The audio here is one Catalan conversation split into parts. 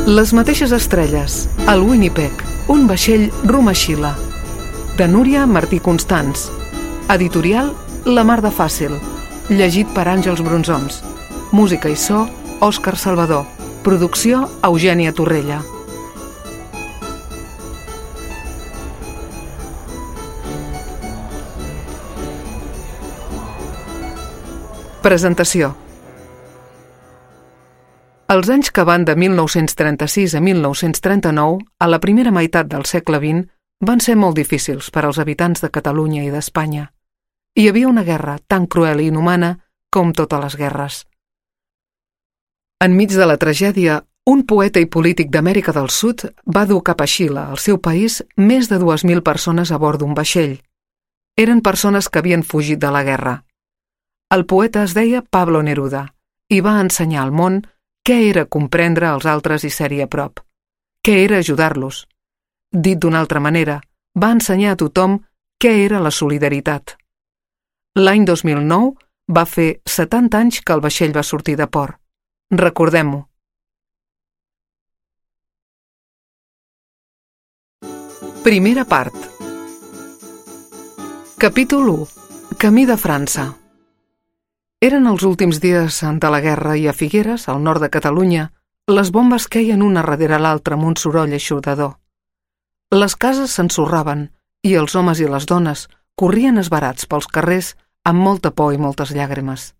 Les mateixes estrelles, el Winnipeg, un vaixell rumb a Xile. De Núria Martí Constans. Editorial La Mar de Fàcil. Llegit per Àngels Brunzoms. Música i so, Òscar Salvador. Producció, Eugènia Torrella. Presentació. Els anys que van de 1936 a 1939, a la primera meitat del segle XX, van ser molt difícils per als habitants de Catalunya i d'Espanya. Hi havia una guerra tan cruel i inhumana com totes les guerres. Enmig de la tragèdia, un poeta i polític d'Amèrica del Sud va dur cap a Xile, al seu país, més de 2.000 persones a bord d'un vaixell. Eren persones que havien fugit de la guerra. El poeta es deia Pablo Neruda i va ensenyar al món què era comprendre els altres i ser-hi a prop. Què era ajudar-los. Dit d'una altra manera, va ensenyar a tothom què era la solidaritat. L'any 2009 va fer 70 anys que el vaixell va sortir de port. Recordem-ho. Primera part. Capítol 1. Camí de França. Eren els últims dies de la guerra i a Figueres, al nord de Catalunya, les bombes queien una darrere l'altra amb un soroll eixordador. Les cases s'ensorraven i els homes i les dones corrien esbarats pels carrers amb molta por i moltes llàgrimes.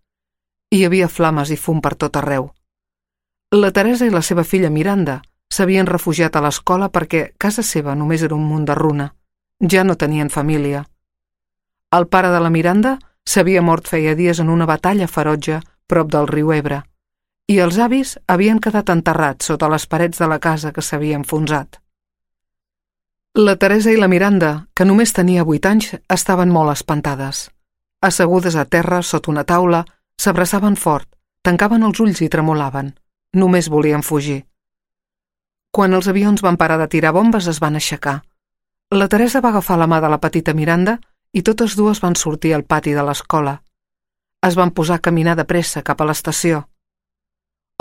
Hi havia flames i fum per tot arreu. La Teresa i la seva filla Miranda s'havien refugiat a l'escola perquè casa seva només era un munt de runa. Ja no tenien família. El pare de la Miranda s'havia mort feia dies en una batalla ferotge prop del riu Ebre, i els avis havien quedat enterrats sota les parets de la casa que s'havia enfonsat. La Teresa i la Miranda, que només tenia 8 anys, estaven molt espantades. Assegudes a terra sota una taula, s'abraçaven fort, tancaven els ulls i tremolaven. Només volien fugir. Quan els avions van parar de tirar bombes, es van aixecar. La Teresa va agafar la mà de la petita Miranda i totes dues van sortir al pati de l'escola. Es van posar a caminar de pressa cap a l'estació.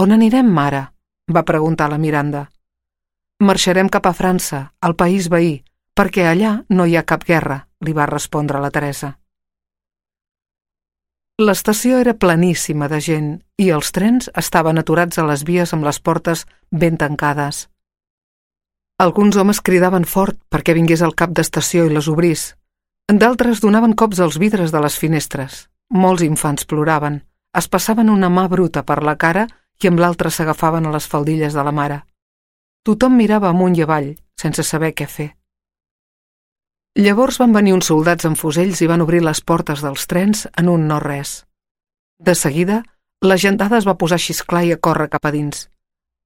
«On anirem, mare?», va preguntar la Miranda. «Marxarem cap a França, al país veí, perquè allà no hi ha cap guerra», li va respondre la Teresa. L'estació era pleníssima de gent i els trens estaven aturats a les vies amb les portes ben tancades. Alguns homes cridaven fort perquè vingués el cap d'estació i les obrís. D'altres donaven cops als vidres de les finestres. Molts infants ploraven, es passaven una mà bruta per la cara i amb l'altra s'agafaven a les faldilles de la mare. Tothom mirava amunt i avall, sense saber què fer. Llavors van venir uns soldats amb fusells i van obrir les portes dels trens en un no-res. De seguida, la gentada es va posar a xisclar i a córrer cap a dins.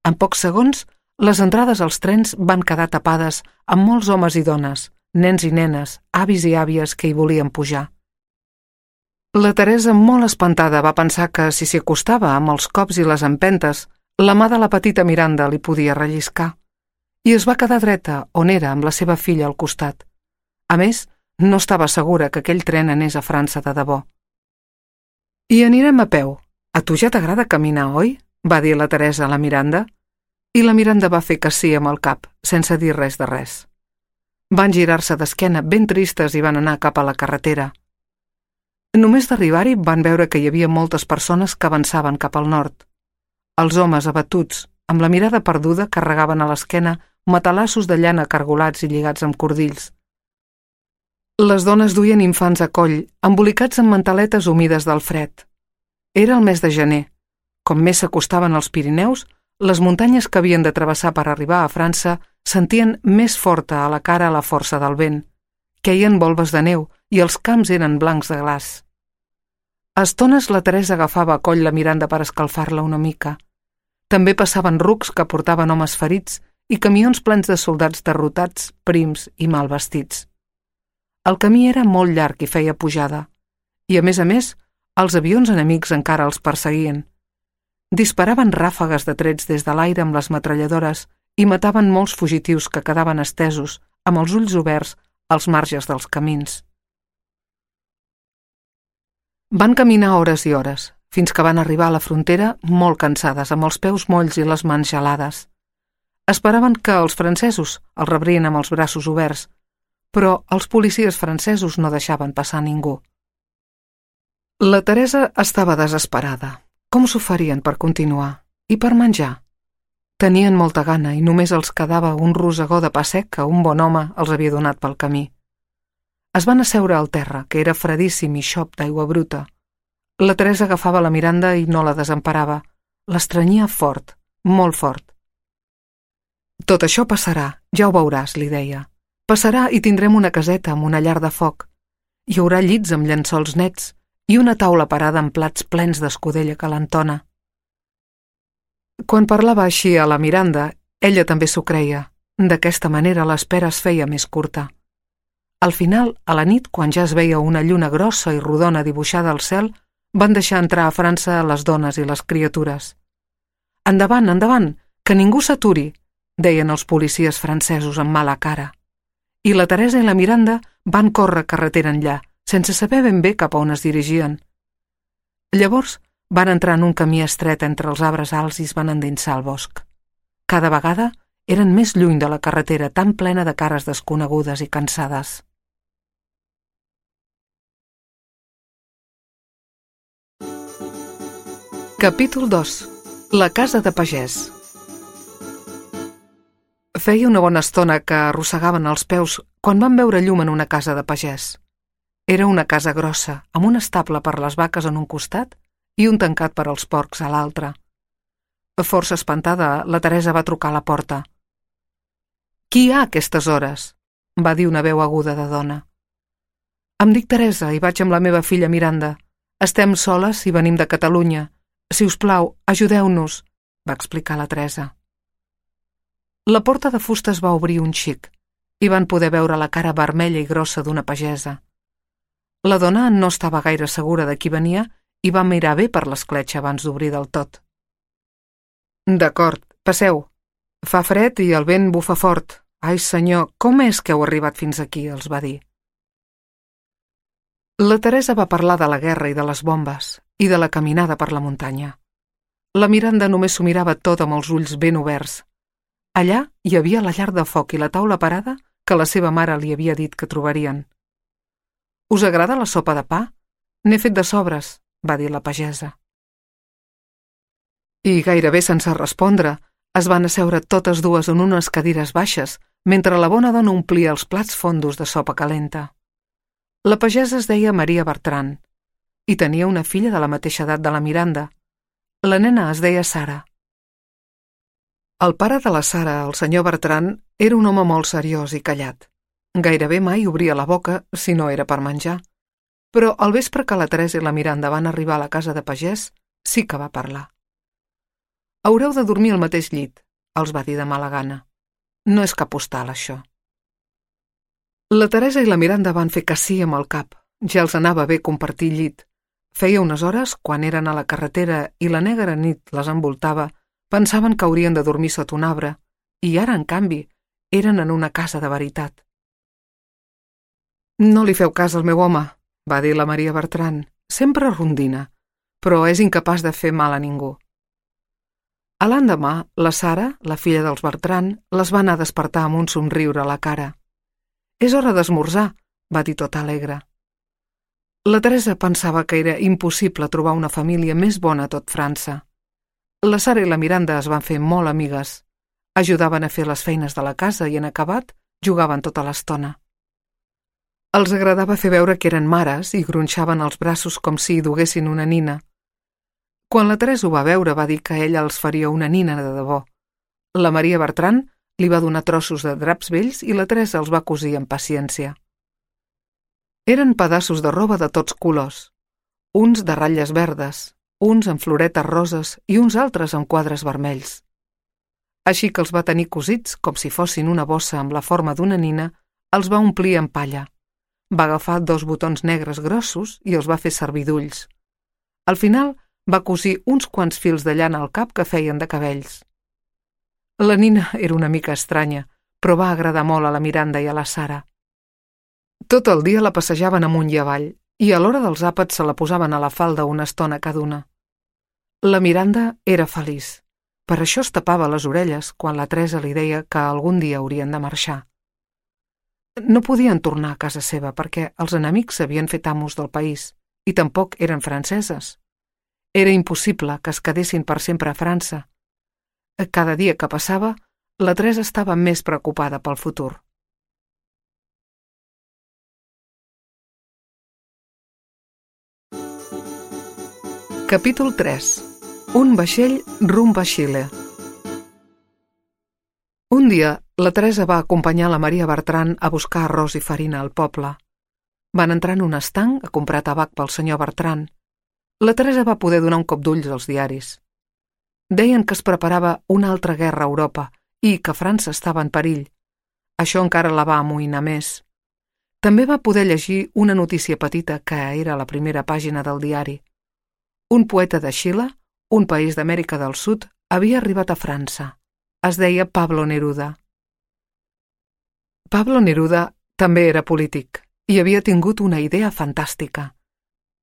En pocs segons, les entrades als trens van quedar tapades amb molts homes i dones, nens i nenes, avis i àvies que hi volien pujar. La Teresa, molt espantada, va pensar que si s'hi acostava amb els cops i les empentes, la mà de la petita Miranda li podia relliscar, i es va quedar dreta on era amb la seva filla al costat. A més, no estava segura que aquell tren anés a França de debò. «I anirem a peu. A tu ja t'agrada caminar, oi?», va dir la Teresa a la Miranda, i la Miranda va fer que sí amb el cap, sense dir res de res. Van girar-se d'esquena ben tristes i van anar cap a la carretera. Només d'arribar-hi van veure que hi havia moltes persones que avançaven cap al nord. Els homes abatuts, amb la mirada perduda, carregaven a l'esquena matalassos de llana cargolats i lligats amb cordills. Les dones duien infants a coll, embolicats amb mantaletes humides del fred. Era el mes de gener. Com més s'acostaven als Pirineus, les muntanyes que havien de travessar per arribar a França sentien més forta a la cara la força del vent. Queien volves de neu i els camps eren blancs de glaç. A estones la Teresa agafava a coll la Miranda per escalfar-la una mica. També passaven rucs que portaven homes ferits i camions plens de soldats derrotats, prims i mal vestits. El camí era molt llarg i feia pujada, i a més, els avions enemics encara els perseguien. Disparaven ràfegues de trets des de l'aire amb les metralladores i mataven molts fugitius que quedaven estesos, amb els ulls oberts, als marges dels camins. Van caminar hores i hores, fins que van arribar a la frontera molt cansades, amb els peus molls i les mans gelades. Esperaven que els francesos els rebrien amb els braços oberts, però els policies francesos no deixaven passar ningú. La Teresa estava desesperada. Com s'ho farien per continuar? I per menjar? Tenien molta gana i només els quedava un rosegó de pa sec que un bon home els havia donat pel camí. Es van asseure al terra, que era fredíssim i xop d'aigua bruta. La Teresa agafava la Miranda i no la desemparava. L'estrenyia fort, molt fort. Tot això passarà, ja ho veuràs, li deia. Passarà i tindrem una caseta amb una llar de foc. Hi haurà llits amb llençols nets i una taula parada amb plats plens d'escudella calentona. Quan parlava així a la Miranda, ella també s'ho creia. D'aquesta manera l'espera es feia més curta. Al final, a la nit, quan ja es veia una lluna grossa i rodona dibuixada al cel, van deixar entrar a França les dones i les criatures. «Endavant, endavant, que ningú s'aturi», deien els policies francesos amb mala cara. I la Teresa i la Miranda van córrer carretera enllà, sense saber ben bé cap a on es dirigien. Llavors van entrar en un camí estret entre els arbres alts i es van endinsar al bosc. Cada vegada eren més lluny de la carretera, tan plena de cares desconegudes i cansades. Capítol 2. La casa de pagès. Feia una bona estona que arrossegaven els peus quan van veure llum en una casa de pagès. Era una casa grossa, amb un estable per les vaques en un costat i un tancat per als porcs a l'altre. Força espantada, la Teresa va trucar a la porta. «Qui hi ha a aquestes hores?», va dir una veu aguda de dona. «Em dic Teresa i vaig amb la meva filla Miranda. Estem soles i venim de Catalunya. Si us plau, ajudeu-nos», va explicar la Teresa. La porta de fusta es va obrir un xic i van poder veure la cara vermella i grossa d'una pagesa. La dona no estava gaire segura de qui venia i va mirar bé per l'escletxa abans d'obrir del tot. «D'acord, passeu. Fa fred i el vent bufa fort. Ai, senyor, com és que heu arribat fins aquí?», els va dir. La Teresa va parlar de la guerra i de les bombes i de la caminada per la muntanya. La Miranda només s'ho mirava tot amb els ulls ben oberts. Allà hi havia la llar de foc i la taula parada que la seva mare li havia dit que trobarien. «Us agrada la sopa de pa? N'he fet de sobres», va dir la pagesa. I gairebé sense respondre, es van asseure totes dues en unes cadires baixes mentre la bona dona omplia els plats fondos de sopa calenta. La pagesa es deia Maria Bertran i tenia una filla de la mateixa edat de la Miranda. La nena es deia Sara. El pare de la Sara, el senyor Bertran, era un home molt seriós i callat. Gairebé mai obria la boca si no era per menjar. Però al vespre que la Teresa i la Miranda van arribar a la casa de pagès, sí que va parlar. «Haureu de dormir al mateix llit», els va dir de mala gana. «No és cap hostal, això». La Teresa i la Miranda van fer que sí amb el cap. Ja els anava bé compartir llit. Feia unes hores, quan eren a la carretera i la negra nit les envoltava, pensaven que haurien de dormir sota un arbre, i ara, en canvi, eren en una casa de veritat. «No li feu cas al meu home», va dir la Maria Bertran. «Sempre rondina, però és incapaç de fer mal a ningú». A l'endemà, la Sara, la filla dels Bertran, les va anar a despertar amb un somriure a la cara. «És hora d'esmorzar», va dir tota alegre. La Teresa pensava que era impossible trobar una família més bona a tot França. La Sara i la Miranda es van fer molt amigues. Ajudaven a fer les feines de la casa i, en acabat, jugaven tota l'estona. Els agradava fer veure que eren mares i gronxaven els braços com si hi duguessin una nina. Quan la Teresa ho va veure, va dir que ella els faria una nina de debò. La Maria Bertran li va donar trossos de draps vells i la Teresa els va cosir amb paciència. Eren pedaços de roba de tots colors, uns de ratlles verdes, uns amb floretes roses i uns altres amb quadres vermells. Així que els va tenir cosits com si fossin una bossa amb la forma d'una nina, els va omplir amb palla. Va agafar 2 botons negres grossos i els va fer servir d'ulls. Al final va cosir uns quants fils de llana al cap que feien de cabells. La nina era una mica estranya, però va agradar molt a la Miranda i a la Sara. Tot el dia la passejaven amunt i avall, i a l'hora dels àpats se la posaven a la falda una estona cada una. La Miranda era feliç. Per això es tapava les orelles quan la Teresa li deia que algun dia haurien de marxar. No podien tornar a casa seva perquè els enemics s'havien fet amos del país i tampoc eren franceses. Era impossible que es quedessin per sempre a França. Cada dia que passava, la Teresa estava més preocupada pel futur. Capítol 3. Un vaixell rumb a Xile. Un dia, la Teresa va acompanyar la Maria Bertran a buscar arròs i farina al poble. Van entrar en un estanc a comprar tabac pel senyor Bertran. La Teresa va poder donar un cop d'ulls als diaris. Deien que es preparava una altra guerra a Europa i que França estava en perill. Això encara la va amoïnar més. També va poder llegir una notícia petita que era a la primera pàgina del diari. Un poeta de Xile, un país d'Amèrica del Sud, havia arribat a França. Es deia Pablo Neruda. Pablo Neruda també era polític i havia tingut una idea fantàstica.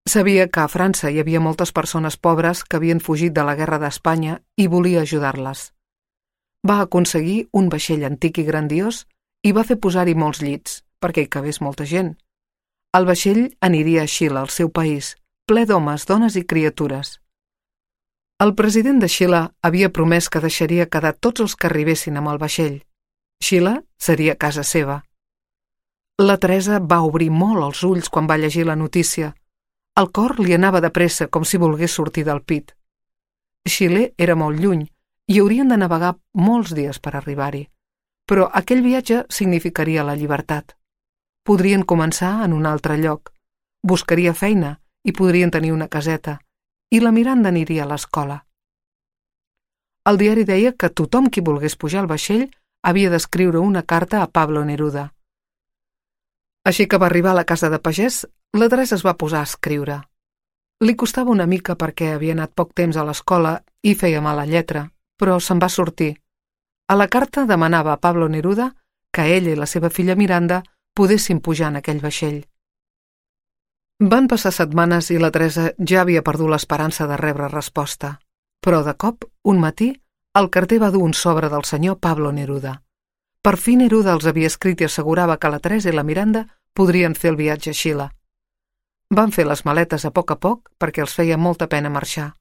Sabia que a França hi havia moltes persones pobres que havien fugit de la guerra d'Espanya i volia ajudar-les. Va aconseguir un vaixell antic i grandiós i va fer posar-hi molts llits perquè hi cabés molta gent. El vaixell aniria a Xile, al seu país, ple d'homes, dones i criatures. El president de Xile havia promès que deixaria quedar tots els que arribessin amb el vaixell. Xile seria casa seva. La Teresa va obrir molt els ulls quan va llegir la notícia. El cor li anava de pressa com si volgués sortir del pit. Xile era molt lluny i haurien de navegar molts dies per arribar-hi, però aquell viatge significaria la llibertat. Podrien començar en un altre lloc, buscaria feina i podrien tenir una caseta, i la Miranda aniria a l'escola. El diari deia que tothom qui volgués pujar al vaixell havia d'escriure una carta a Pablo Neruda. Així que va arribar a la casa de pagès, la Teresa es va posar a escriure. Li costava una mica perquè havia anat poc temps a l'escola i feia mala lletra, però se'n va sortir. A la carta demanava a Pablo Neruda que ella i la seva filla Miranda podessin pujar en aquell vaixell. Van passar setmanes i la Teresa ja havia perdut l'esperança de rebre resposta. Però de cop, un matí, el carter va dur un sobre del senyor Pablo Neruda. Per fi Neruda els havia escrit i assegurava que la Teresa i la Miranda podrien fer el viatge a Xile. Van fer les maletes a poc perquè els feia molta pena marxar.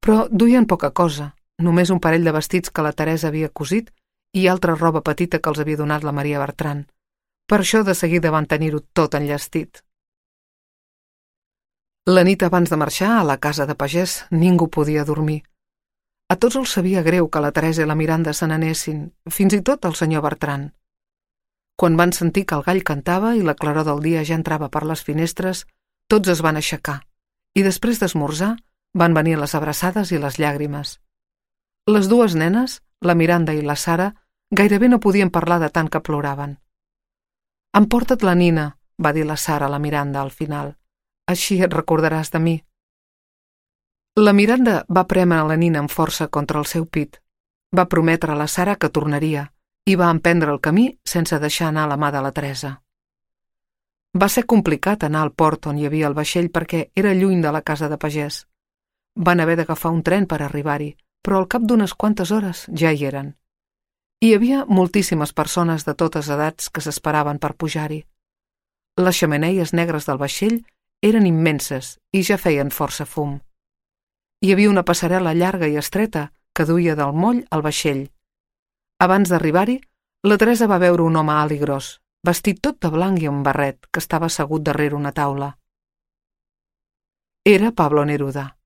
Però duien poca cosa, només un parell de vestits que la Teresa havia cosit i altra roba petita que els havia donat la Maria Bertran. Per això de seguida van tenir-ho tot enllestit. La nit abans de marxar, a la casa de pagès, ningú podia dormir. A tots els sabia greu que la Teresa i la Miranda se n'anessin, fins i tot el senyor Bertran. Quan van sentir que el gall cantava i la claror del dia ja entrava per les finestres, tots es van aixecar, i després d'esmorzar van venir les abraçades i les llàgrimes. Les dues nenes, la Miranda i la Sara, gairebé no podien parlar de tant que ploraven. «Emporta't la nina», va dir la Sara a la Miranda al final. «Així et recordaràs de mi». La Miranda va prémer la nina amb força contra el seu pit. Va prometre a la Sara que tornaria i va emprendre el camí sense deixar anar la mà de la Teresa. Va ser complicat anar al port on hi havia el vaixell perquè era lluny de la casa de pagès. Van haver d'agafar un tren per arribar-hi, però al cap d'unes quantes hores ja hi eren. Hi havia moltíssimes persones de totes edats que s'esperaven per pujar-hi. Les xemeneies negres del vaixell eren immenses i ja feien força fum. Hi havia una passarel·la llarga i estreta que duia del moll al vaixell. Abans d'arribar-hi, la Teresa va veure un home alt i gros, vestit tot de blanc i amb barret, que estava assegut darrere una taula. Era Pablo Neruda.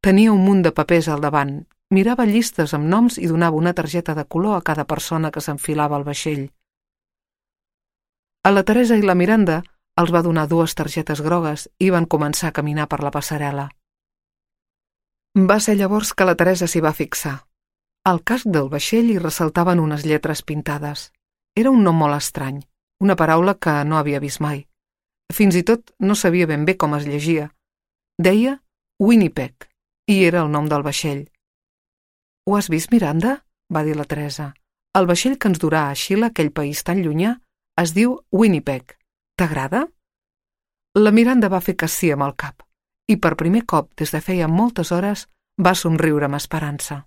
Tenia un munt de papers al davant, mirava llistes amb noms i donava una targeta de color a cada persona que s'enfilava al vaixell. A la Teresa i la Miranda els va donar 2 targetes grogues i van començar a caminar per la passarel·la. Va ser llavors que la Teresa s'hi va fixar. Al casc del vaixell hi ressaltaven unes lletres pintades. Era un nom molt estrany, una paraula que no havia vist mai. Fins i tot no sabia ben bé com es llegia. Deia Winnipeg, i era el nom del vaixell. «Ho has vist, Miranda?», va dir la Teresa. «El vaixell que ens durà a Xile, aquell país tan llunyà, es diu Winnipeg. T'agrada?» La Miranda va fer que sí amb el cap, i per primer cop des de feia moltes hores va somriure amb esperança.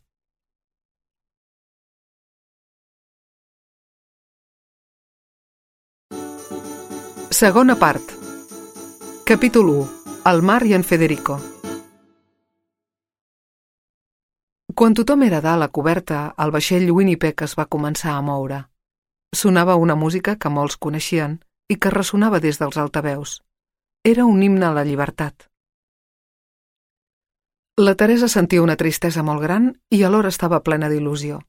Segona part. Capítol 1. El mar i en Federico. Quan tothom era dalt a coberta, el vaixell Winnipeg es va començar a moure. Sonava una música que molts coneixien i que ressonava des dels altaveus. Era un himne a la llibertat. La Teresa sentia una tristesa molt gran i alhora estava plena d'il·lusió.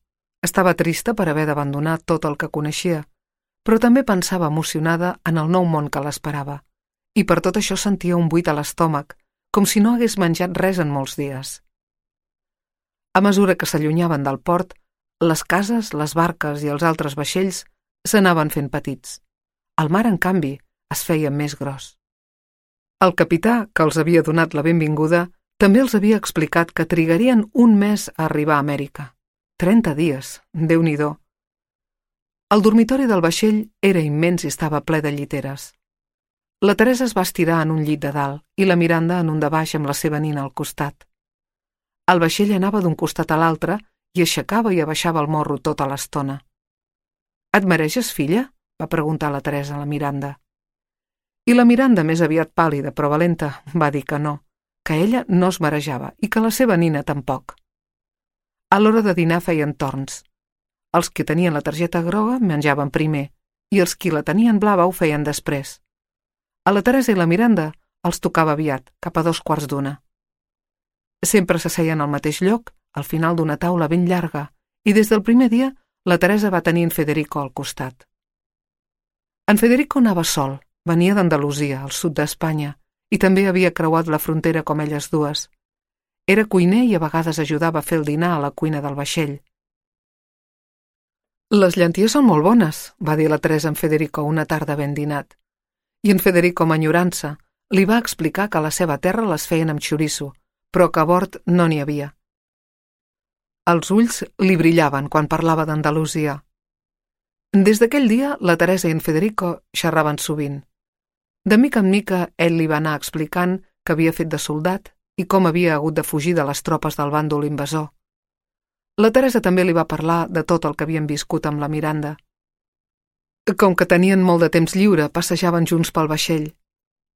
Estava trista per haver d'abandonar tot el que coneixia, però també pensava emocionada en el nou món que l'esperava, i per tot això sentia un buit a l'estómac, com si no hagués menjat res en molts dies. A mesura que s'allunyaven del port, les cases, les barques i els altres vaixells s'anaven fent petits. El mar, en canvi, es feia més gros. El capità, que els havia donat la benvinguda, també els havia explicat que trigarien un mes a arribar a Amèrica. 30 dies, Déu-n'hi-do. El dormitori del vaixell era immens i estava ple de lliteres. La Teresa es va estirar en un llit de dalt i la Miranda en un de baix amb la seva nina al costat. El vaixell anava d'un costat a l'altre i aixecava i abaixava el morro tota l'estona. «Et mareges, filla?», va preguntar la Teresa a la Miranda. I la Miranda, més aviat pàl·lida però valenta, va dir que no, que ella no es marejava i que la seva nina tampoc. A l'hora de dinar feien torns. Els que tenien la targeta groga menjaven primer i els qui la tenien blava ho feien després. A la Teresa i la Miranda els tocava aviat, cap a 2:15. Sempre s'asseien al mateix lloc, al final d'una taula ben llarga, i des del primer dia la Teresa va tenir en Federico al costat. En Federico anava sol, venia d'Andalusia, al sud d'Espanya, i també havia creuat la frontera com elles dues. Era cuiner i a vegades ajudava a fer el dinar a la cuina del vaixell. «Les llenties són molt bones», va dir la Teresa en Federico una tarda ben dinat. I en Federico, amb enyorança, li va explicar que a la seva terra les feien amb xoriço, però que a bord no n'hi havia. Els ulls li brillaven quan parlava d'Andalusia. Des d'aquell dia, la Teresa i en Federico xerraven sovint. De mica en mica, ell li va anar explicant que havia fet de soldat i com havia hagut de fugir de les tropes del bàndol invasor. La Teresa també li va parlar de tot el que havien viscut amb la Miranda. Com que tenien molt de temps lliure, passejaven junts pel vaixell.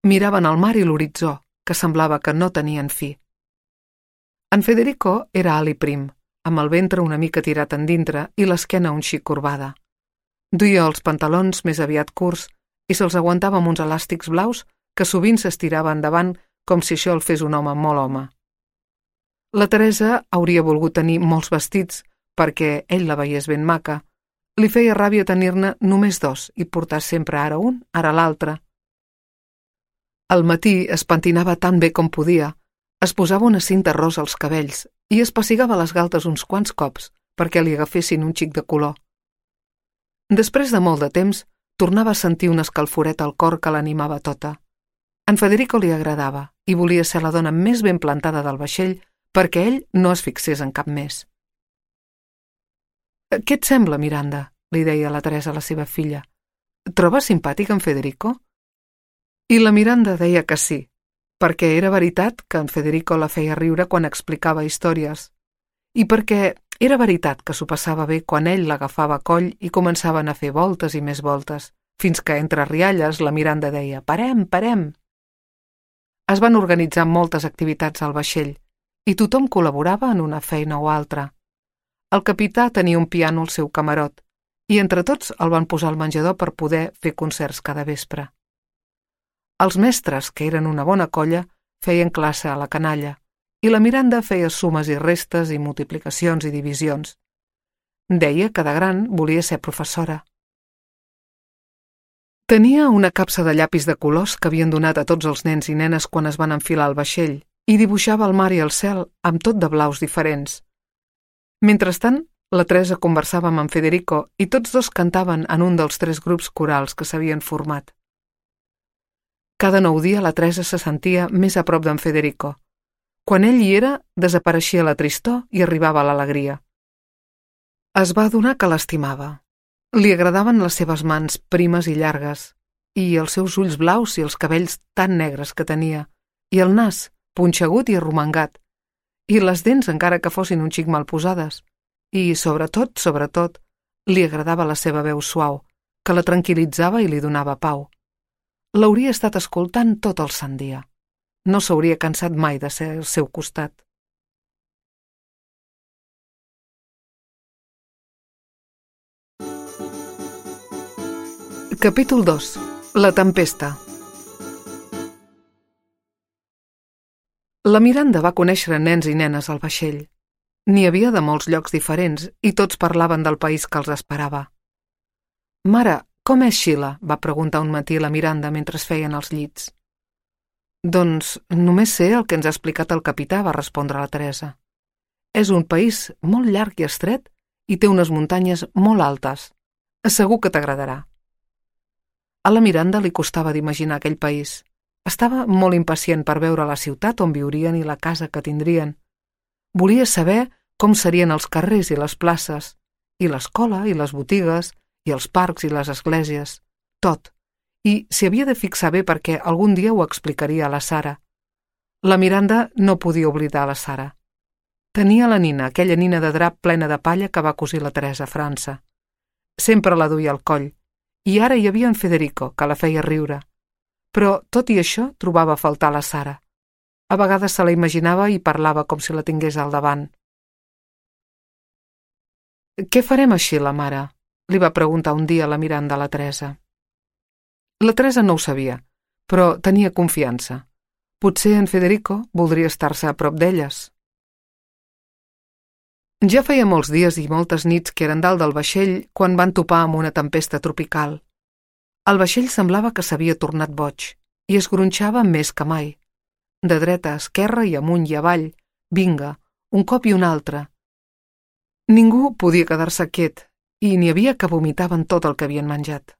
Miraven el mar i l'horitzó, que semblava que no tenien fi. En Federico era alt i prim, amb el ventre una mica tirat endintre i l'esquena un xic corbada. Duia els pantalons més aviat curts i se'ls aguantava amb uns elàstics blaus que sovint s'estirava endavant com si això el fes un home molt home. La Teresa hauria volgut tenir molts vestits perquè ell la veiés ben maca. Li feia ràbia tenir-ne només 2 i portar sempre ara un, ara l'altre. Al matí es pentinava tan bé com podia, es posava una cinta rosa als cabells i es pessigava les galtes uns quants cops perquè li agafessin un xic de color. Després de molt de temps, tornava a sentir una escalforeta al cor que l'animava tota. En Federico li agradava i volia ser la dona més ben plantada del vaixell perquè ell no es fixés en cap més. «Què et sembla, Miranda?», li deia la Teresa a la seva filla. «Trobes simpàtic en Federico?» I la Miranda deia que sí, perquè era veritat que en Federico la feia riure quan explicava històries, i perquè era veritat que s'ho passava bé quan ell l'agafava a coll i començaven a fer voltes i més voltes, fins que entre rialles la Miranda deia «Parem, parem!». Es van organitzar moltes activitats al vaixell, i tothom col·laborava en una feina o altra. El capità tenia un piano al seu camarot, i entre tots el van posar al menjador per poder fer concerts cada vespre. Els mestres, que eren una bona colla, feien classe a la canalla, i la Miranda feia sumes i restes i multiplicacions i divisions. Deia que de gran volia ser professora. Tenia una capsa de llapis de colors que havien donat a tots els nens i nenes quan es van enfilar al vaixell, i dibuixava el mar i el cel amb tot de blaus diferents. Mentrestant, la Teresa conversava amb en Federico i tots dos cantaven en un dels 3 grups corals que s'havien format. Cada nou dia la Teresa se sentia més a prop d'en Federico. Quan ell hi era, desapareixia la tristor i arribava l'alegria. Es va adonar que l'estimava. Li agradaven les seves mans primes i llargues, i els seus ulls blaus i els cabells tan negres que tenia, i el nas, punxegut i arromangat, i les dents encara que fossin un xic mal posades, i, sobretot, li agradava la seva veu suau, que la tranquil·litzava i li donava pau. l'hauria estat escoltant tot el sant dia. No s'hauria cansat mai de ser al seu costat. Capítol 2. La tempesta. La Miranda va conèixer nens i nenes al vaixell. N'hi havia de molts llocs diferents i tots parlaven del país que els esperava. «Mare, com és Xile?», va preguntar un matí la Miranda mentre es feien els llits. «Doncs només sé el que ens ha explicat el capità», va respondre la Teresa. «És un país molt llarg i estret i té unes muntanyes molt altes. Segur que t'agradarà». A la Miranda li costava d'imaginar aquell país. Estava molt impacient per veure la ciutat on viurien i la casa que tindrien. Volia saber com serien els carrers i les places, i l'escola i les botigues, i els parcs i les esglésies, tot. I s'hi havia de fixar bé perquè algun dia ho explicaria a la Sara. La Miranda no podia oblidar la Sara. Tenia la nina, aquella nina de drap plena de palla que va cosir la Teresa a França. Sempre la duia al coll, i ara hi havia en Federico, que la feia riure. Però, tot i això, trobava a faltar la Sara. A vegades se la imaginava i parlava com si la tingués al davant. «Què farem així, la mare?», li va preguntar un dia la Miranda a la Teresa. La Teresa no ho sabia, però tenia confiança. Potser en Federico voldria estar-se a prop d'elles. Ja feia molts dies i moltes nits que eren dalt del vaixell quan van topar amb una tempesta tropical. El vaixell semblava que s'havia tornat boig i es gronxava més que mai. De dreta a esquerra i amunt i avall, vinga, un cop i un altre. Ningú podia quedar-se quiet i n'hi havia que vomitaven tot el que havien menjat.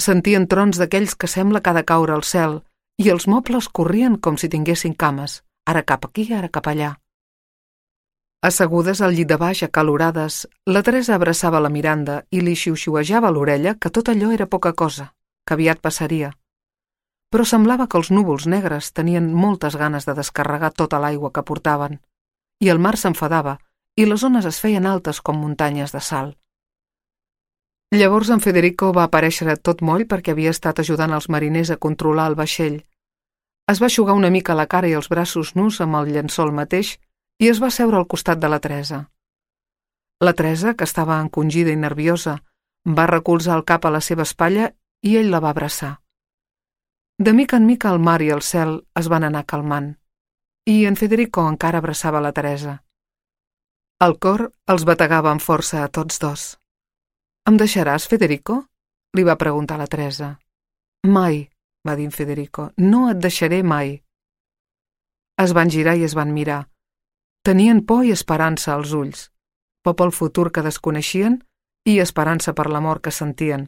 Sentien trons d'aquells que sembla que ha de caure al cel i els mobles corrien com si tinguessin cames, ara cap aquí, ara cap allà. Assegudes al llit de baix, acalorades, la Teresa abraçava la Miranda i li xiuxiuejava a l'orella que tot allò era poca cosa, que aviat passaria. Però semblava que els núvols negres tenien moltes ganes de descarregar tota l'aigua que portaven, i el mar s'enfadava i les ones es feien altes com muntanyes de sal. Llavors en Federico va aparèixer tot moll perquè havia estat ajudant els mariners a controlar el vaixell. Es va eixugar una mica la cara i els braços nus amb el llençol mateix i es va seure al costat de la Teresa. La Teresa, que estava encongida i nerviosa, va recolzar el cap a la seva espatlla i ell la va abraçar. De mica en mica el mar i el cel es van anar calmant, i en Federico encara abraçava la Teresa. El cor els bategava amb força a tots dos. «Em deixaràs, Federico?», li va preguntar la Teresa. «Mai», va dir en Federico, «no et deixaré mai». Es van girar i es van mirar. Tenien por i esperança als ulls, por pel futur que desconeixien i esperança per l'amor que sentien.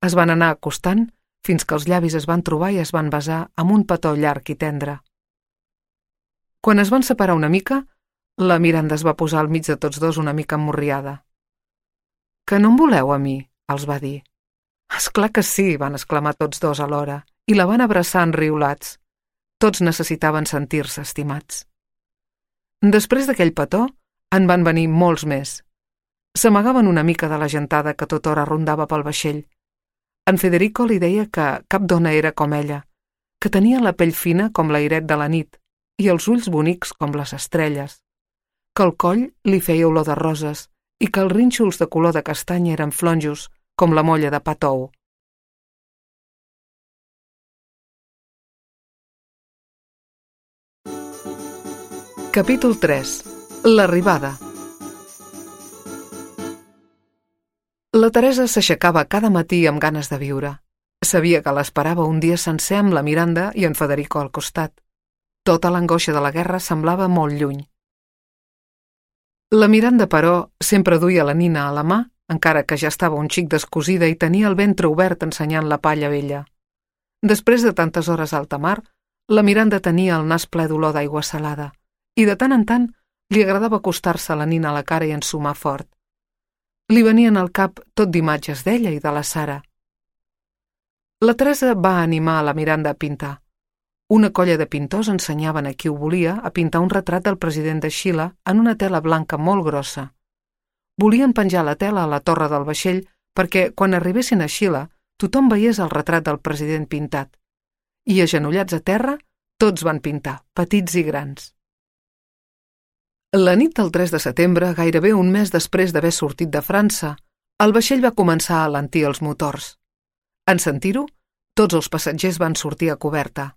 Es van anar acostant fins que els llavis es van trobar i es van besar amb un petó llarg i tendre. Quan es van separar una mica, la Miranda es va posar al mig de tots dos una mica emmorriada. «Que no em voleu a mi?», els va dir. «Esclar que sí», van exclamar tots dos alhora, i la van abraçar enriolats. Tots necessitaven sentir-se estimats. Després d'aquell petó, en van venir molts més. S'amagaven una mica de la gentada que tota hora rondava pel vaixell. En Federico li deia que cap dona era com ella, que tenia la pell fina com l'airet de la nit i els ulls bonics com les estrelles, que el coll li feia olor de roses i que els rínxols de color de castanya eren flonjos com la molla de pa tou. Capítol 3. L'arribada. La Teresa s'aixecava cada matí amb ganes de viure. Sabia que l'esperava un dia sencer amb la Miranda i en Federico al costat. Tota l'angoixa de la guerra semblava molt lluny. La Miranda, però, sempre duia la nina a la mà, encara que ja estava un xic descosida i tenia el ventre obert ensenyant la palla vella. Després de tantes hores a alta mar, la Miranda tenia el nas ple d'olor d'aigua salada i de tant en tant li agradava acostar-se a la nina a la cara i ensumar fort. Li venien al cap tot d'imatges d'ella i de la Sara. La Teresa va animar a la Miranda a pintar. Una colla de pintors ensenyaven a qui ho volia a pintar un retrat del president de Xile en una tela blanca molt grossa. Volien penjar la tela a la torre del vaixell perquè, quan arribessin a Xile, tothom veiés el retrat del president pintat. I agenollats a terra, tots van pintar, petits i grans. La nit del 3 de setembre, gairebé un mes després d'haver sortit de França, el vaixell va començar a alentir els motors. En sentir-ho, tots els passatgers van sortir a coberta.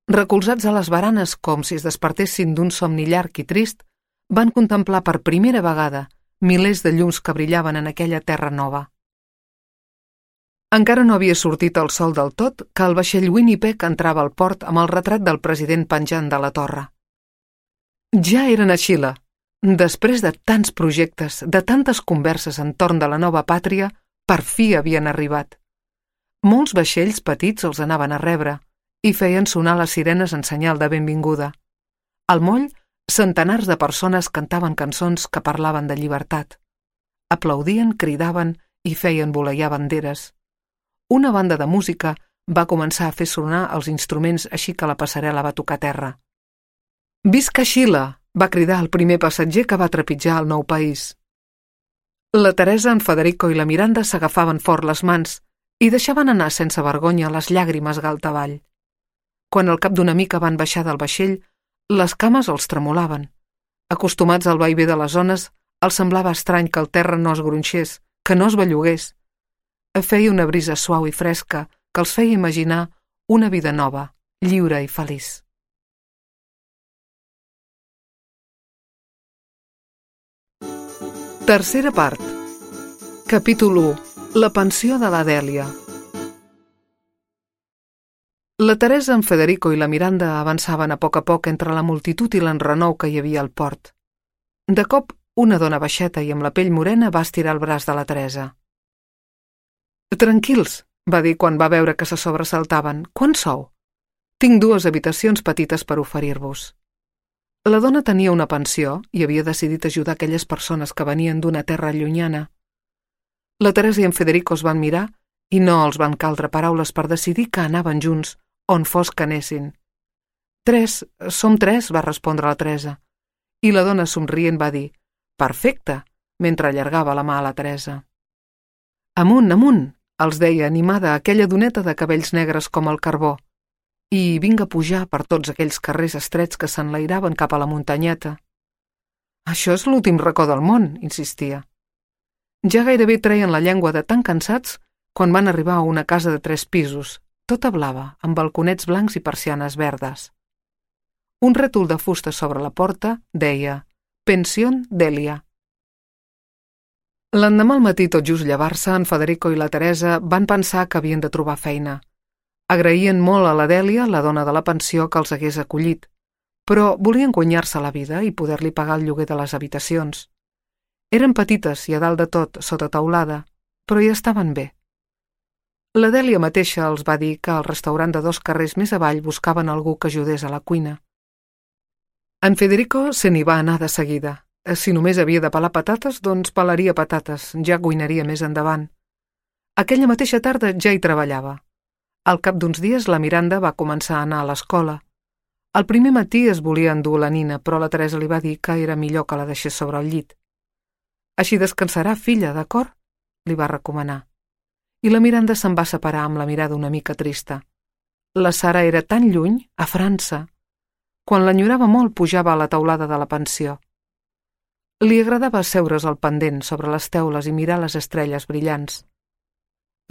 Recolzats a les baranes com si es despertessin d'un somni llarg i trist, van contemplar per primera vegada milers de llums que brillaven en aquella terra nova. Encara no havia sortit el sol del tot que el vaixell Winnipeg entrava al port amb el retrat del president penjant de la torre. Ja eren a Xile. Després de tants projectes, de tantes converses entorn de la nova pàtria, per fi havien arribat. Molts vaixells petits els anaven a rebre i feien sonar les sirenes en senyal de benvinguda. Al moll, centenars de persones cantaven cançons que parlaven de llibertat. Aplaudien, cridaven i feien voleiar banderes. Una banda de música va començar a fer sonar els instruments així que la passarel·la va tocar terra. «Visca Xile!», va cridar el primer passatger que va trepitjar el nou país. La Teresa, en Federico i la Miranda s'agafaven fort les mans i deixaven anar sense vergonya les llàgrimes galta avall. Quan al cap d'una mica van baixar del vaixell, les cames els tremolaven. Acostumats al vaivé de les ones, els semblava estrany que el terra no es gronxés, que no es bellugués. Feia una brisa suau i fresca que els feia imaginar una vida nova, lliure i feliç. Tercera part. Capítol 1. La pensió de la Dèlia. La Teresa, en Federico i la Miranda avançaven a poc entre la multitud i l'enrenou que hi havia al port. De cop, una dona baixeta i amb la pell morena va estirar el braç de la Teresa. «Tranquils», va dir quan va veure que se sobresaltaven. «Quan sou?» «Tinc 2 habitacions petites per oferir-vos». La dona tenia una pensió i havia decidit ajudar aquelles persones que venien d'una terra llunyana. La Teresa i en Federico es van mirar i no els van caldre paraules per decidir que anaven junts, on fos que anessin. Som 3, va respondre la Teresa. I la dona somrient va dir, «Perfecte», mentre allargava la mà a la Teresa. «Amunt, amunt», els deia animada aquella doneta de cabells negres com el carbó, i vinga a pujar per tots aquells carrers estrets que s'enlairaven cap a la muntanyeta. «Això és l'últim racó del món», insistia. Ja gairebé treien la llengua de tan cansats quan van arribar a una casa de 3 pisos, tota blava, amb balconets blancs i persianes verdes. Un rètol de fusta sobre la porta deia «Pensión Dèlia». L'endemà al matí, tot just llevar-se, en Federico i la Teresa van pensar que havien de trobar feina. Agraïen molt a la Dèlia, la dona de la pensió, que els hagués acollit, però volien guanyar-se la vida i poder-li pagar el lloguer de les habitacions. Eren petites i a dalt de tot, sota teulada, però hi estaven bé. La Dèlia mateixa els va dir que al restaurant de 2 carrers més avall buscaven algú que ajudés a la cuina. En Federico se n'hi va anar de seguida. Si només havia de pelar patates, doncs pelaria patates, ja cuinaria més endavant. Aquella mateixa tarda ja hi treballava. Al cap d'uns dies la Miranda va començar a anar a l'escola. El primer matí es volia endur la nina, però la Teresa li va dir que era millor que la deixés sobre el llit. «Així descansarà, filla, d'acord?», li va recomanar. I la Miranda se'n va separar amb la mirada una mica trista. La Sara era tan lluny, a França. Quan l'enyorava molt pujava a la teulada de la pensió. Li agradava asseure's al pendent sobre les teules i mirar les estrelles brillants.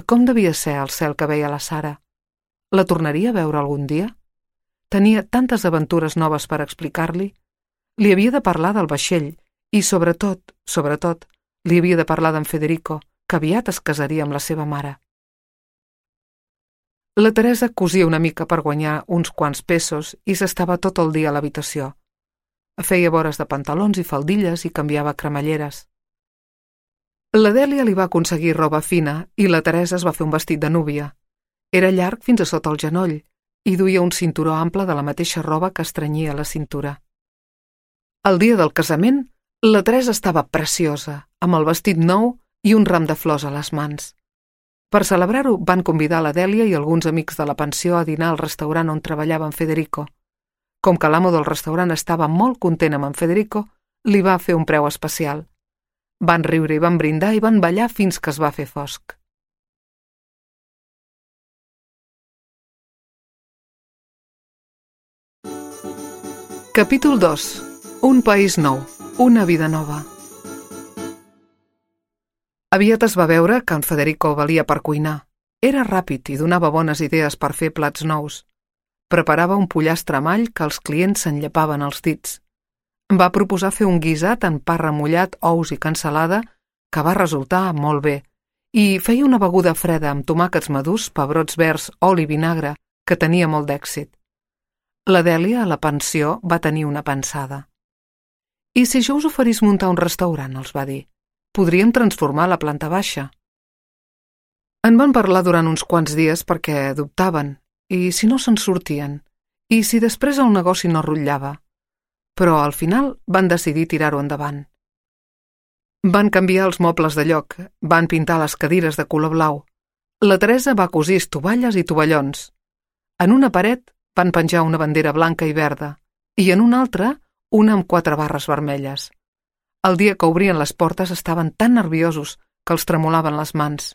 Com devia ser el cel que veia la Sara? La tornaria a veure algun dia? Tenia tantes aventures noves per explicar-li. Li havia de parlar del vaixell i, sobretot, li havia de parlar d'en Federico, que aviat es casaria amb la seva mare. La Teresa cosia una mica per guanyar uns quants pesos i s'estava tot el dia a l'habitació. Feia vores de pantalons i faldilles i canviava cremalleres. La Dèlia li va aconseguir roba fina i la Teresa es va fer un vestit de núvia. Era llarg fins a sota el genoll i duia un cinturó ample de la mateixa roba que estrenyia la cintura. El dia del casament, la Teresa estava preciosa, amb el vestit nou i un ram de flors a les mans. Per celebrar-ho, van convidar la Dèlia i alguns amics de la pensió a dinar al restaurant on treballava en Federico. Com que l'amo del restaurant estava molt content amb en Federico, li va fer un preu especial. Van riure i van brindar i van ballar fins que es va fer fosc. Capítol 2. Un país nou, una vida nova. Aviat es va veure que en Federico valia per cuinar. Era ràpid i donava bones idees per fer plats nous. Preparava un pollastre amb all que els clients s'enllapaven els dits. Va proposar fer un guisat en pa remullat, ous i cansalada, que va resultar molt bé, i feia una beguda freda amb tomàquets madurs, pebrots verds, oli i vinagre, que tenia molt d'èxit. La Dèlia, a la pensió, va tenir una pensada. «I si jo us oferís muntar un restaurant?», els va dir. «Podríem transformar la planta baixa». En van parlar durant uns quants dies perquè dubtaven, i si no se'n sortien, i si després el negoci no rotllava. Però al final van decidir tirar-ho endavant. Van canviar els mobles de lloc, van pintar les cadires de color blau. La Teresa va cosir estovalles i tovallons. En una paret van penjar una bandera blanca i verda, i en una altra una amb 4 barres vermelles. El dia que obrien les portes estaven tan nerviosos que els tremolaven les mans.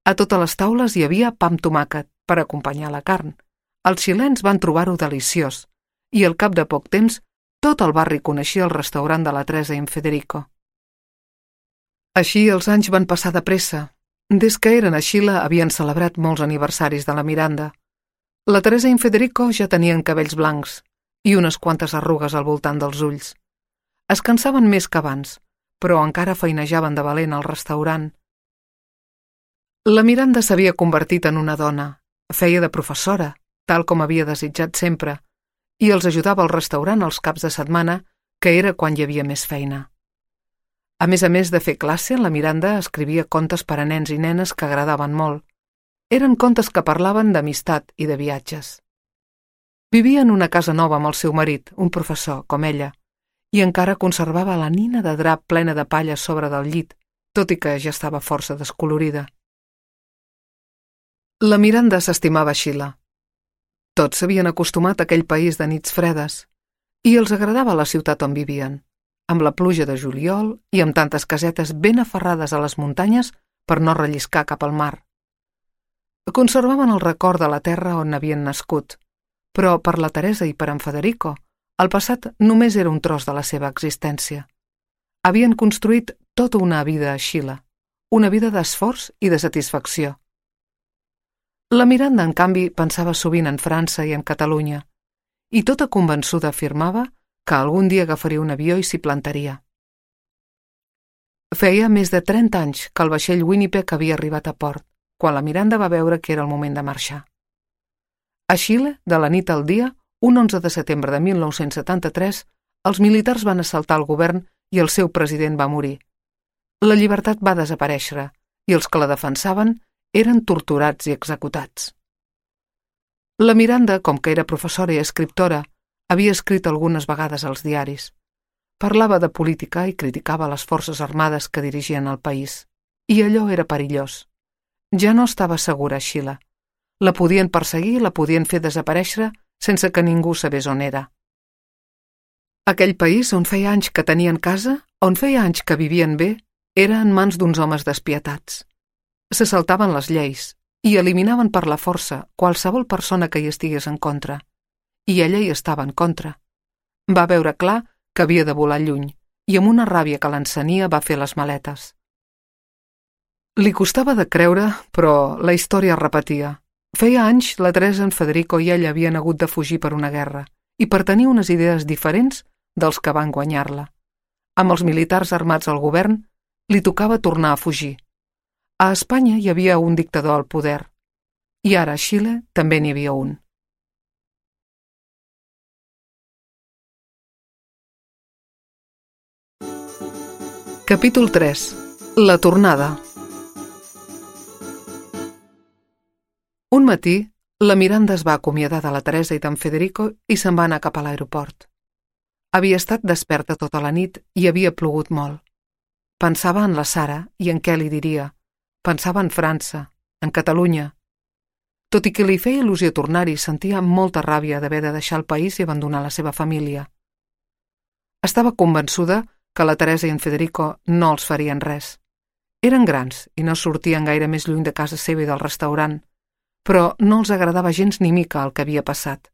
A totes les taules hi havia pa amb tomàquet per acompanyar la carn. Els xilens van trobar-ho deliciós, i al cap de poc temps tot el barri coneixia el restaurant de la Teresa i en Federico. Així els anys van passar de pressa. Des que eren a Xile havien celebrat molts aniversaris de la Miranda. La Teresa i en Federico ja tenien cabells blancs i unes quantes arrugues al voltant dels ulls. Es cansaven més que abans, però encara feinejaven de valent al restaurant. La Miranda s'havia convertit en una dona, feia de professora, tal com havia desitjat sempre, i els ajudava al restaurant els caps de setmana, que era quan hi havia més feina. A més de fer classe, la Miranda escrivia contes per a nens i nenes que agradaven molt. Eren contes que parlaven d'amistat i de viatges. Vivia en una casa nova amb el seu marit, un professor, com ella, i encara conservava la nina de drap plena de palla sobre del llit, tot i que ja estava força descolorida. La Miranda s'estimava Xile. Tots s'havien acostumat a aquell país de nits fredes, i els agradava la ciutat on vivien, amb la pluja de juliol i amb tantes casetes ben aferrades a les muntanyes per no relliscar cap al mar. Conservaven el record de la terra on havien nascut, però per la Teresa i per en Federico, el passat només era un tros de la seva existència. Havien construït tota una vida a Xile, una vida d'esforç i de satisfacció. La Miranda, en canvi, pensava sovint en França i en Catalunya, i tota convençuda afirmava que algun dia agafaria un avió i s'hi plantaria. Feia més de 30 anys que el vaixell Winnipeg havia arribat a port, quan la Miranda va veure que era el moment de marxar. A Xile, de la nit al dia, un 11 de setembre de 1973, els militars van assaltar el govern i el seu president va morir. La llibertat va desaparèixer i els que la defensaven eren torturats i executats. La Miranda, com que era professora i escriptora, havia escrit algunes vegades als diaris. Parlava de política i criticava les forces armades que dirigien el país. I allò era perillós. Ja no estava segura a Xile. La podien perseguir i la podien fer desaparèixer sense que ningú sabés on era. Aquell país on feia anys que tenien casa, on feia anys que vivien bé, era en mans d'uns homes despietats. Se saltaven les lleis i eliminaven per la força qualsevol persona que hi estigués en contra. I ella hi estava en contra. Va veure clar que havia de volar lluny i amb una ràbia que l'encenia va fer les maletes. Li costava de creure, però la història es repetia. Feia anys la Teresa, en Federico i ella havien hagut de fugir per una guerra i per tenir unes idees diferents dels que van guanyar-la. Amb els militars armats al govern, li tocava tornar a fugir. A Espanya hi havia un dictador al poder i ara a Xile també n'hi havia un. Capítol 3. La tornada. Un matí, la Miranda es va acomiadar de la Teresa i d'en Federico i se'n va anar cap a l'aeroport. Havia estat desperta tota la nit i havia plogut molt. Pensava en la Sara i en què li diria. Pensava en França, en Catalunya. Tot i que li feia il·lusió tornar-hi, sentia molta ràbia d'haver de deixar el país i abandonar la seva família. Estava convençuda que la Teresa i en Federico no els farien res. Eren grans i no sortien gaire més lluny de casa seva i del restaurant, però no els agradava gens ni mica el que havia passat.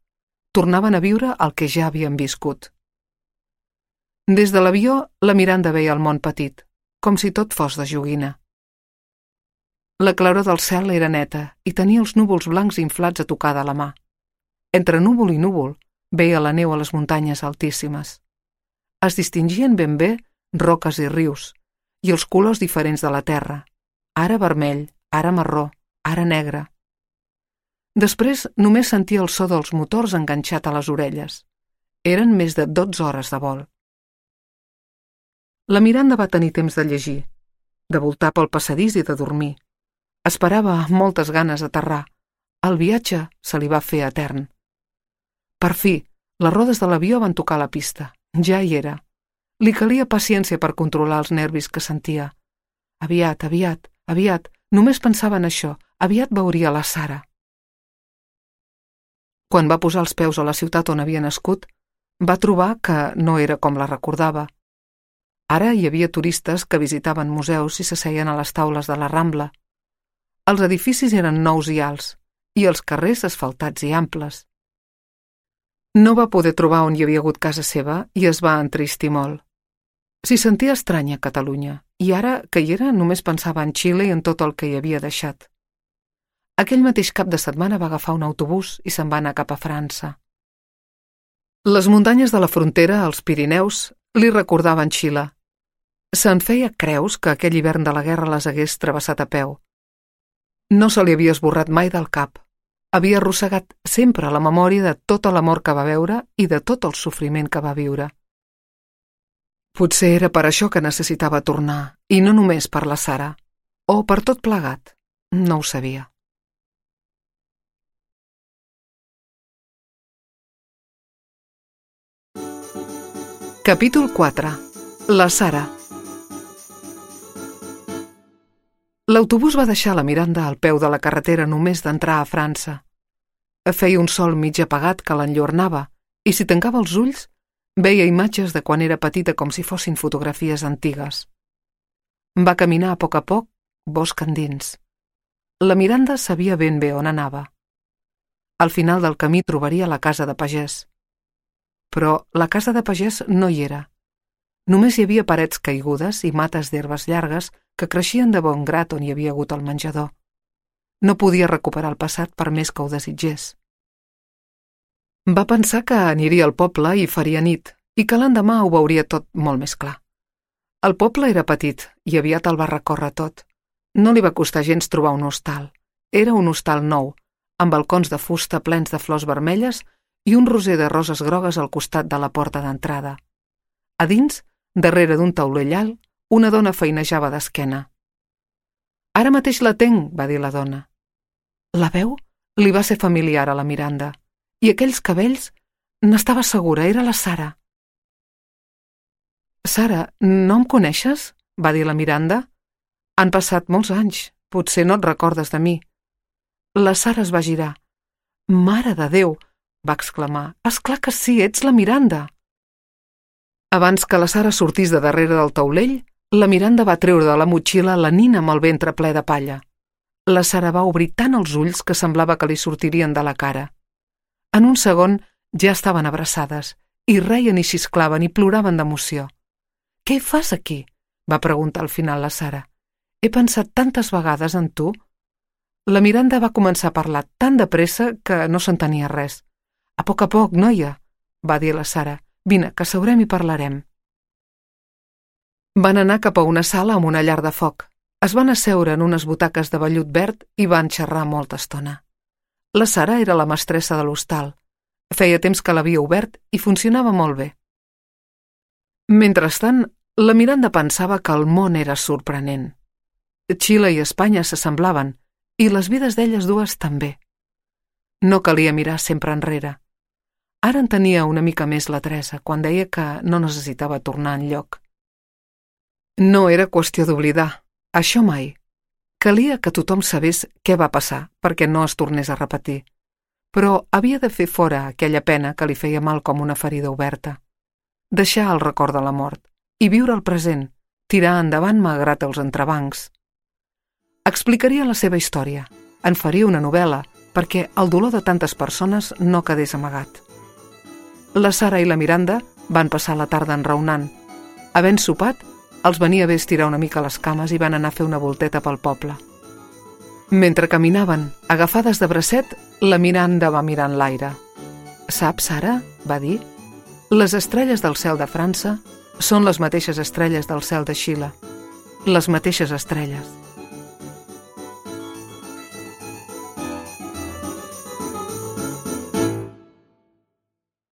tornaven a viure el que ja havien viscut. Des de l'avió, la Miranda veia el món petit, com si tot fos de joguina. La claror del cel era neta i tenia els núvols blancs inflats a tocar de la mà. Entre núvol i núvol veia la neu a les muntanyes altíssimes. Es distingien ben bé roques i rius, i els colors diferents de la terra, ara vermell, ara marró, ara negre. Després només sentia el so dels motors enganxat a les orelles. Eren més de 12 hores de vol. La Miranda va tenir temps de llegir, de voltar pel passadís i de dormir. Esperava amb moltes ganes d'aterrar. El viatge se li va fer etern. Per fi, les rodes de l'avió van tocar la pista. Ja hi era. Li calia paciència per controlar els nervis que sentia. Aviat, només pensava en això. Aviat veuria la Sara. Quan va posar els peus a la ciutat on havia nascut, va trobar que no era com la recordava. Ara hi havia turistes que visitaven museus i s'asseien a les taules de la Rambla. Els edificis eren nous i alts, i els carrers asfaltats i amples. No va poder trobar on hi havia hagut casa seva i es va entristir molt. S'hi sentia estranya a Catalunya, i ara que hi era només pensava en Xile i en tot el que hi havia deixat. Aquell mateix cap de setmana va agafar un autobús i se'n va anar cap a França. Les muntanyes de la frontera, els Pirineus, li recordaven Xile. Se'n feia creus que aquell hivern de la guerra les hagués travessat a peu. No se li havia esborrat mai del cap. Havia arrossegat sempre la memòria de tota l'amor que va veure i de tot el sofriment que va viure. Potser era per això que necessitava tornar, i no només per la Sara, o per tot plegat, no ho sabia. Capítol 4. La Sara. L'autobús va deixar la Miranda al peu de la carretera només d'entrar a França. Feia un sol mig apagat que l'enllornava i si tancava els ulls veia imatges de quan era petita com si fossin fotografies antigues. Va caminar a poc, bosc endins. La Miranda sabia ben bé on anava. Al final del camí trobaria la casa de pagès. Però la casa de pagès no hi era. Només hi havia parets caigudes i mates d'herbes llargues que creixien de bon grat on hi havia hagut el menjador. No podia recuperar el passat per més que ho desitgés. Va pensar que aniria al poble i faria nit, i que l'endemà ho veuria tot molt més clar. El poble era petit i aviat el va recórrer tot. No li va costar gens trobar un hostal. Era un hostal nou, amb balcons de fusta plens de flors vermelles i un roser de roses grogues al costat de la porta d'entrada. A dins, darrere d'un taulell alt, una dona feinejava d'esquena. «Ara mateix la tenc», va dir la dona. La veu li va ser familiar a la Miranda, i aquells cabells, n'estava segura, era la Sara. «Sara, no em coneixes?», va dir la Miranda. «Han passat molts anys, potser no et recordes de mi». La Sara es va girar. «Mare de Déu!», va exclamar. «És clar que sí, ets la Miranda!» Abans que la Sara sortís de darrere del taulell, la Miranda va treure de la motxilla la nina amb el ventre ple de palla. La Sara va obrir tant els ulls que semblava que li sortirien de la cara. En un segon ja estaven abraçades, i reien i xisclaven i ploraven d'emoció. «Què fas aquí?», va preguntar al final la Sara. «He pensat tantes vegades en tu». La Miranda va començar a parlar tan de pressa que no s'entenia res. A poc, noia», va dir la Sara. «Vine, que seurem i parlarem». Van anar cap a una sala amb una llar de foc. Es van asseure en unes butaques de vellut verd i van xerrar molta estona. La Sara era la mestressa de l'hostal. Feia temps que l'havia obert i funcionava molt bé. Mentrestant, la Miranda pensava que el món era sorprenent. Xile i Espanya s'assemblaven, i les vides d'elles dues també. No calia mirar sempre enrere. Ara en tenia una mica més la Teresa quan deia que no necessitava tornar enlloc. No era qüestió d'oblidar, això mai. Calia que tothom sabés què va passar perquè no es tornés a repetir. Però havia de fer fora aquella pena que li feia mal com una ferida oberta. Deixar el record de la mort i viure el present, tirar endavant malgrat els entrebancs. Explicaria la seva història, en faria una novel·la perquè el dolor de tantes persones no quedés amagat. La Sara i la Miranda van passar la tarda enraonant. Havent sopat, els venia bé estirar una mica les cames i van anar a fer una volteta pel poble. Mentre caminaven, agafades de bracet, la Miranda va mirar en l'aire. «Saps, Sara?», va dir. «Les estrelles del cel de França són les mateixes estrelles del cel de Xile. Les mateixes estrelles.